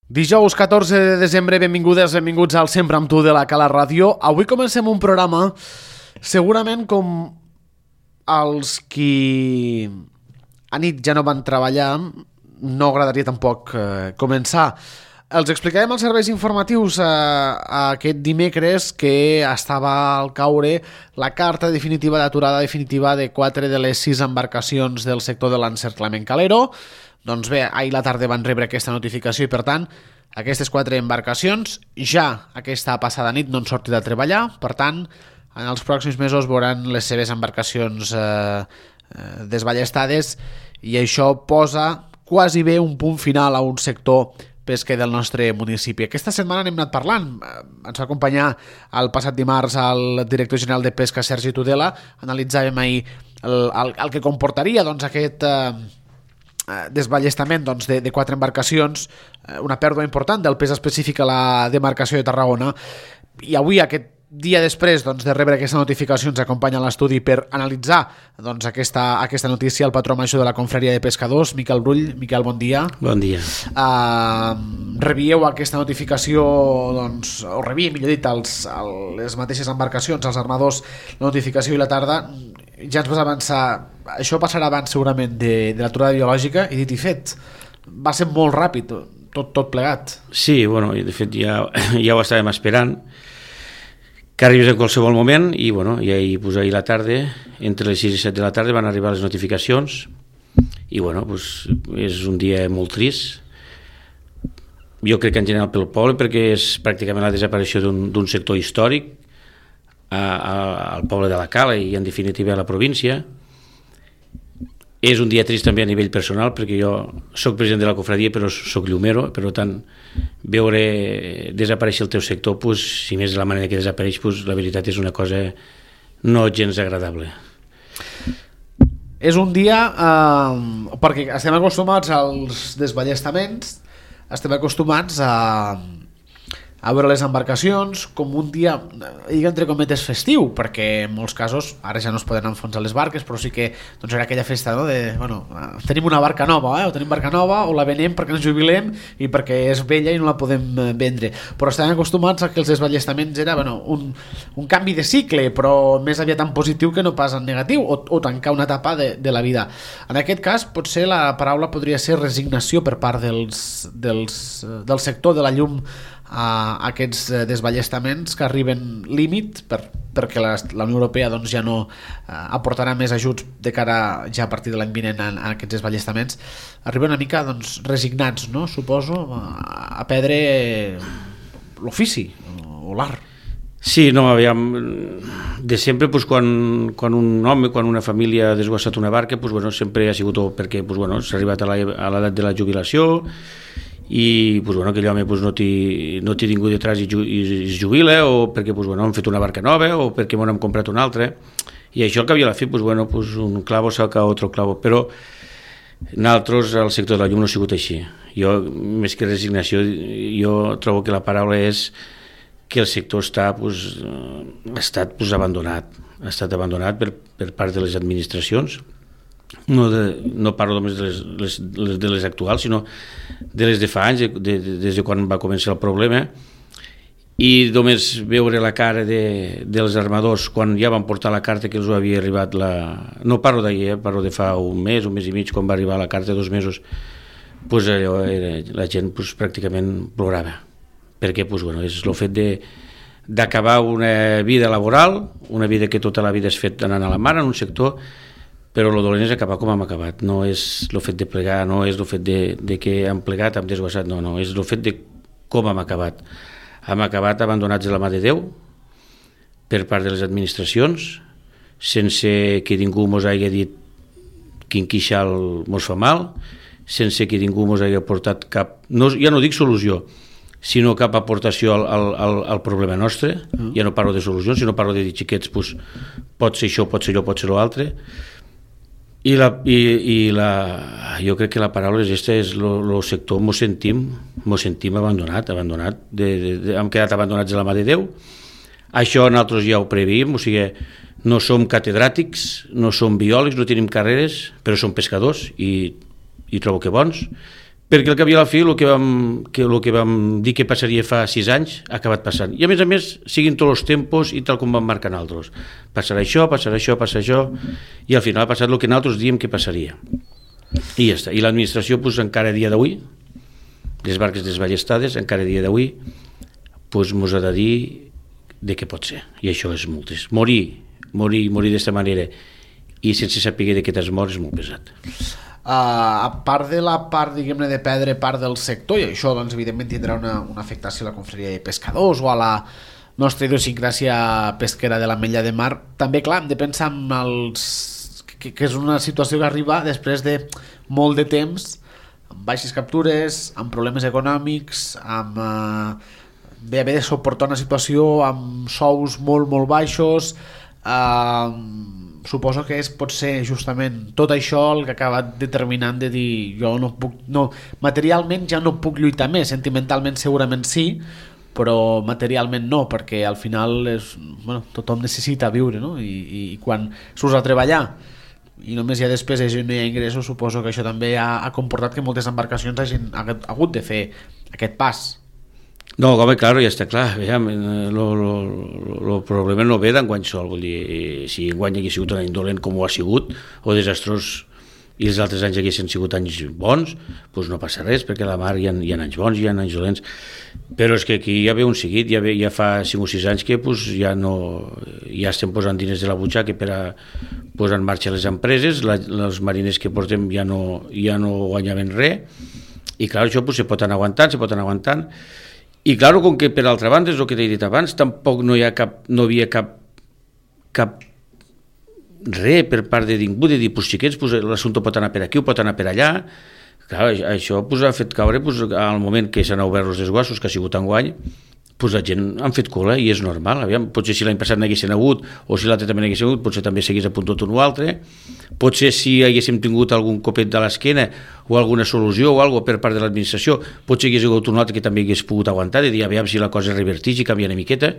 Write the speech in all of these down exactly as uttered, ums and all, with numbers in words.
Dijous catorze de desembre, benvingudes, benvinguts al Sempre amb tu de la Cala Ràdio. Avui comencem un programa segurament com els qui a nit ja no van treballar, no agradaria tampoc eh, començar. Els explicarem els serveis informatius eh, aquest dimecres que estava al caure la carta definitiva d'aturada definitiva de quatre de les sis embarcacions del sector de l'encerclament calero. Doncs bé, ahir la tarda van rebre aquesta notificació i, per tant, aquestes quatre embarcacions ja aquesta passada nit no han sortit a treballar. Per tant, en els pròxims mesos veuran les seves embarcacions eh, eh, desballestades i això posa quasi bé un punt final a un sector pesquer del nostre municipi. Aquesta setmana n'hem anat parlant. Ens va acompanyar el passat dimarts el director general de Pesca, Sergi Tudela. Analitzàvem ahir el, el, el que comportaria doncs, aquest... Eh, desballestament doncs, de, de quatre embarcacions, una pèrdua important del pes específic a la demarcació de Tarragona, i avui, aquest dia després doncs, de rebre aquesta notificació, ens acompanya a l'estudi per analitzar doncs, aquesta, aquesta notícia el patró major de la Confraria de Pescadors, Miquel Brull. Miquel, bon dia. Bon dia. Uh, rebieu aquesta notificació, doncs, o rebia, millor dit, els, el, les mateixes embarcacions, els armadors, la notificació i la tarda. Ja ens vas avançar, això passarà abans segurament de, de l'aturada biològica, i dit i fet, va ser molt ràpid tot, tot plegat. Sí, bueno, de fet ja, ja ho estàvem esperant, que arribés en qualsevol moment, i bueno, i ahir, pues, ahir la tarda, entre les sis i set de la tarda van arribar les notificacions, i bueno, pues, és un dia molt trist, jo crec que en general pel poble, perquè és pràcticament la desaparició d'un sector històric a, a, al poble de la Cala i en definitiva a la província. És un dia trist també a nivell personal, perquè jo soc president de la cofradia però soc llumero, per tant veure desaparèixer el teu sector, pues, si més de la manera que desapareix, pues, la veritat és una cosa no gens agradable. És un dia eh, perquè estem acostumats als desballestaments, estem acostumats a a veure les embarcacions com un dia, digue entre cometes, festiu, perquè en molts casos ara ja no es poden enfonsar les barques, però sí que doncs, era aquella festa, no? De, bueno, tenim una barca nova, eh? o tenim barca nova o la venem perquè ens jubilem i perquè és vella i no la podem vendre, però estem acostumats a que els desballestaments era bueno, un, un canvi de cicle, però més aviat en positiu que no pas en negatiu, o, o tancar una etapa de, de la vida. En aquest cas potser la paraula podria ser resignació per part dels, dels, del sector de la llum a aquests desballestaments que arriben límit per, perquè la, la Unió Europea doncs, ja no eh, aportarà més ajuts de cara ja a partir de l'any vinent a, a aquests desballestaments. Arriben una mica doncs, resignats, no? Suposo, a, a perdre l'ofici o, o l'art. Sí, no, aviam, de sempre pues, quan, quan un home, quan una família ha desguassat una barca, pues, bueno, sempre ha sigut perquè pues, bueno, s'ha arribat a l'edat de la jubilació i pues, bueno, aquell home pues, no t'hi no tingut detrás i, ju, i es jubila, o perquè pues, bueno, hem fet una barca nova o perquè m'ho hem comprat una altra, i això al cap i a la fi pues, bueno, pues, un clavo saca otro clavo, però nosaltres al sector de la llum no ha sigut així. Jo, més que resignació, jo trobo que la paraula és que el sector està, pues, ha estat pues, abandonat ha estat abandonat per, per part de les administracions. No, de, no parlo només de les, les, de les actuals, sinó de les de fa anys, de, de, des de quan va començar el problema, i només veure la cara de, dels armadors quan ja van portar la carta que els havia arribat la... no parlo d'ahir, eh? Parlo de fa un mes, un mes i mig, quan va arribar la carta, dos mesos, pues allò era, la gent pues, pràcticament plorava, perquè pues, bueno, és el fet de d'acabar una vida laboral, una vida que tota la vida has fet anant a la mar en un sector, però el dolent és acabar com hem acabat, no és el fet de plegar, no és el fet de, de que hem plegat, hem desguassat, no, no, és el fet de com hem acabat. Hem acabat abandonats a la mà de Déu per part de les administracions, sense que ningú mos hagi dit quin queixal mos fa mal, sense que ningú mos hagi aportat cap, no, ja no dic solució, sinó cap aportació al, al, al problema nostre. Mm. Ja no parlo de solucions, sinó parlo de dir, xiquets, pues, pot ser això, pot ser allò, pot ser l'altre. I, la, i, i la, jo crec que la paraula és aquesta, és el sector, mos sentim, mos sentim abandonat, abandonat, de, de, de, hem quedat abandonats a la mà de Déu. Això nosaltres ja ho preveiem, o sigui, no som catedràtics, no som biòlegs, no tenim carreres, però som pescadors i, i trobo que bons, perquè al cap i a la fi el que vam, que, el que vam dir que passaria fa sis anys ha acabat passant. I a més a més, siguin tots els tempos i tal com van marcar nosaltres. Passarà això, passarà això, passarà això, i al final ha passat el que nosaltres diem que passaria. I ja està. I l'administració, pues, encara a dia d'avui, les barques desballestades, encara a dia d'avui, pues, mos ha de dir de què pot ser. I això és molt trist. Morir, morir, morir d'aquesta manera i sense saber de què t'has mort és molt pesat. Uh, a part de la part, diguem-ne, de perdre part del sector, i això doncs evidentment tindrà una, una afectació a la confraria de pescadors o a la nostra idiosincràsia pesquera de l'Ametlla de Mar, també clar, hem de pensar en els... que, que és una situació que arriba després de molt de temps, amb baixes captures, amb problemes econòmics, amb uh, bé, haver de suportar una situació amb sous molt molt baixos. uh, Suposo que és, pot ser justament tot això el que acaba determinant de dir jo no puc, no, materialment ja no puc lluitar més, sentimentalment segurament sí, però materialment no, perquè al final és, bueno, tothom necessita viure, no? I, i, i quan surts a treballar i només hi ha despeses i no hi ha ingressos, suposo que això també ha, ha comportat que moltes embarcacions hagin hagut de fer aquest pas. No, home, clar, ja està clar. El problema no ve d'enguany sol. Vull dir, si enguany hagués sigut un any dolent com ho ha sigut, o desastrós, i els altres anys haguessin sigut anys bons, doncs no passa res, perquè a la mar hi ha, hi ha anys bons, hi ha anys dolents. Però és que aquí ja ve un seguit, ja, ve, ja fa cinc o sis anys que pues, ja, no, ja estem posant diners de la butxaca per a posar en marxa les empreses, la, els mariners que portem ja no, ja no guanyaven res, i clar, això pues, se pot anar aguantant, se pot anar aguantant. I clar, com que per altra banda, és el que t'he dit abans, tampoc no hi ha cap, no havia cap, cap res per part de ningú, de dir, pues, xiquets, pues, l'assumpte pot anar per aquí o pot anar per allà. Clar, això pues, ha fet caure pues, al moment que s'han obert els desguassos, que ha sigut enguany, pues, la gent han fet cola i és normal. Aviam, potser si l'any passat n'haguessin hagut o si l'altre també n'haguessin hagut, potser també s'hagués apuntat un o altre. Potser si haguéssim tingut algun copet de l'esquena o alguna solució o alguna per part de l'administració, potser hagués hagut un altre que també hagués pogut aguantar i dir, aviam si la cosa revertix i canvia una miqueta.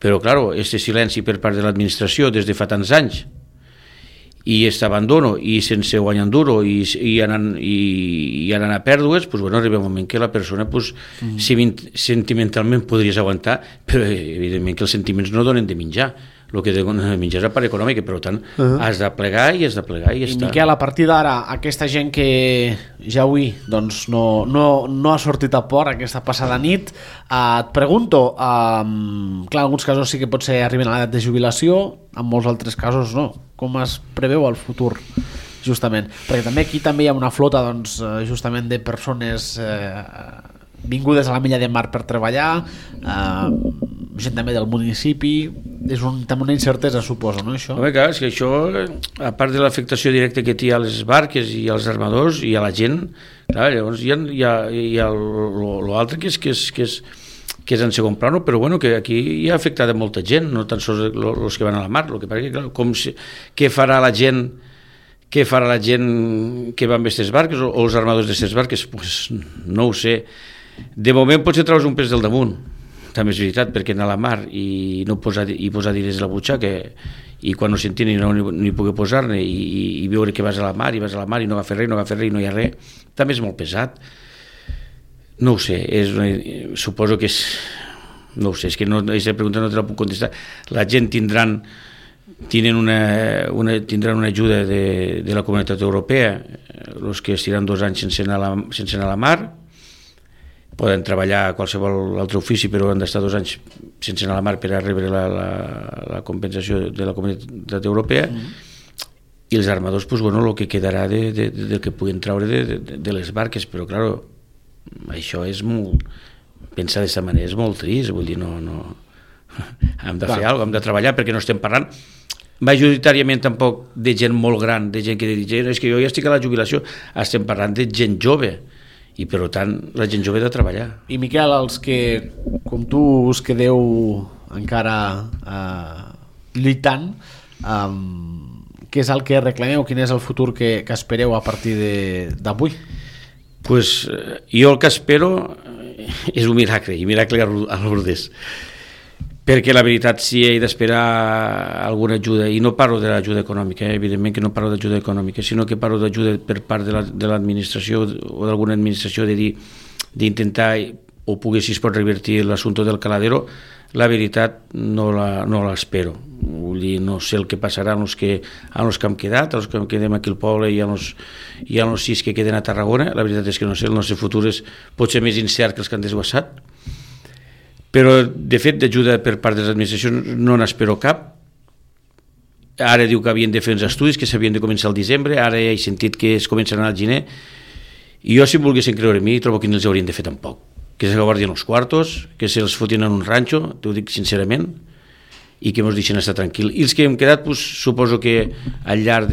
Però, clar, este silenci per part de l'administració des de fa tants anys i aquest abandono i sense guanyar duro i, i, anant, i, i anant a pèrdues, pues, bueno, arriba un moment que la persona pues, mm. si sentimentalment podries aguantar, però evidentment que els sentiments no donen de menjar, el que de menjar és la part econòmica, per tant uh-huh. has de plegar i has de plegar i ja I està. Miquel, a partir d'ara, aquesta gent que ja avui doncs, no, no, no ha sortit a port aquesta passada nit, eh, et pregunto, eh, clar, en alguns casos sí que pot ser arriben a l'edat de jubilació, en molts altres casos no, com es preveu el futur justament, perquè també aquí també hi ha una flota doncs, justament de persones eh, vingudes a l'Ametlla de Mar per treballar, eh, gent també del municipi, és un, també una incertesa, suposo, no, això? Home, clar, és que això, a part de l'afectació directa que té a les barques i als armadors i a la gent, clar, llavors hi ha, hi ha, hi ha l'altre que és, que és, que és que és en segon plano, però bueno, que aquí hi ha afectat a molta gent, no tan sols els que van a la mar, el que passa que, clar, com si, què farà la gent què farà la gent que va amb aquestes barques o, o els armadors d'aquestes barques? Pues no ho sé. De moment potser treus un pes del damunt, també és veritat, perquè anar a la mar i no posar, i posar diners a la butxaca i quan no sentin no ni, ni pugui posar-ne i, i, i veure que vas a la mar i vas a la mar i no agafes res, no agafes res i no hi ha res, també és molt pesat. No ho sé, és una, suposo que és... No ho sé, és que no, aquesta pregunta no te la puc contestar. La gent tindran, tindran, una, una, tindran una ajuda de, de la Comunitat Europea, els que estiran dos anys sense anar a la, sense anar a la mar, poden treballar a qualsevol altre ofici, però han d'estar dos anys sense anar a la mar per a rebre la, la, la compensació de la Comunitat Europea, mm. i els armadors, pues, bueno, el que quedarà de, de, de, del que puguen treure de, de, de les barques, però, clar, això és molt... Pensar d'aquesta manera és molt trist, vull dir, no... no... hem de fer alguna cosa, hem de treballar, perquè no estem parlant majoritàriament tampoc de gent molt gran, de gent que diu, és que jo ja estic a la jubilació, estem parlant de gent jove, i per tant la gent jove ha de treballar. I Miquel, els que, com tu, us quedeu encara eh, lluitant, eh, què és el que reclameu, quin és el futur que, que espereu a partir d'avui? Pues jo el que espero és un miracle, i miracle a Lourdes. perquè la veritat sí he d'esperar alguna ajuda, i no parlo de l'ajuda econòmica, eh? Evidentment que no parlo d'ajuda econòmica, sinó que parlo d'ajuda per part de l'administració la, o d'alguna administració de dir, d'intentar o poder, si es pot revertir l'assumpte del caladero. La veritat no la, no l'espero. Vull dir, no sé el que passarà amb els que, amb els que hem quedat, els que quedem aquí al poble i amb els, i amb els sis que queden a Tarragona. La veritat és que no sé, el nostre futur és, pot ser més incert que els que han desguassat. Però, de fet, d'ajuda per part de les administracions no n'espero cap. Ara diu que havien de fer uns estudis, que s'havien de començar al desembre, ara he sentit que es començaran al gener, i jo, si em volguessin creure a mi, trobo que no els haurien de fer tampoc. Que se guardien els quartos, que se'ls fotien en un ranxo, t'ho dic sincerament, i que ens deixen estar tranquil. I els que hem quedat, pues, suposo que al llarg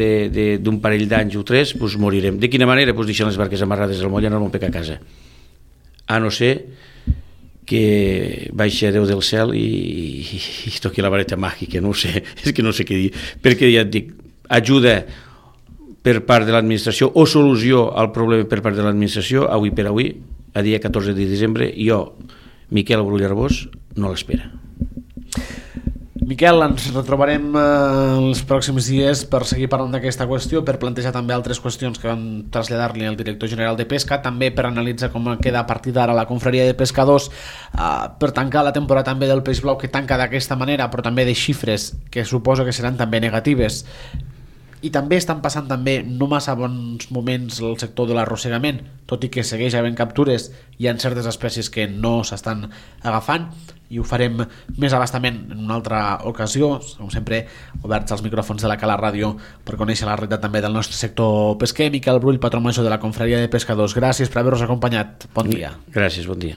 d'un parell d'anys o tres pues, morirem. De quina manera? Pues, deixant les barques amarrades al moll i anar-me'n a casa. A no ser que baixi a Déu del cel i, i, i toqui la vareta màgica, no ho sé, és que no sé què dir, perquè ja et dic, ajuda per part de l'administració o solució al problema per part de l'administració, avui per avui, a dia catorze de desembre, jo, Miquel Brull Arbós, no l'espera. Miquel, ens retrobarem eh, els pròxims dies per seguir parlant d'aquesta qüestió, per plantejar també altres qüestions que vam traslladar-li al director general de Pesca, també per analitzar com queda a partir d'ara la confraria de pescadors, eh, per tancar la temporada també del peix blau, que tanca d'aquesta manera, però també de xifres que suposo que seran també negatives. I també estan passant també no massa bons moments el sector de l'arrossegament, tot i que segueix havent captures, hi ha certes espècies que no s'estan agafant, i ho farem més abastament en una altra ocasió, com sempre oberts als micròfons de la Cala Ràdio per conèixer la realitat també del nostre sector pesquer. Miquel Brull, patró major de la confraria de pescadors, gràcies per haver-nos acompanyat, bon dia. Gràcies, bon dia.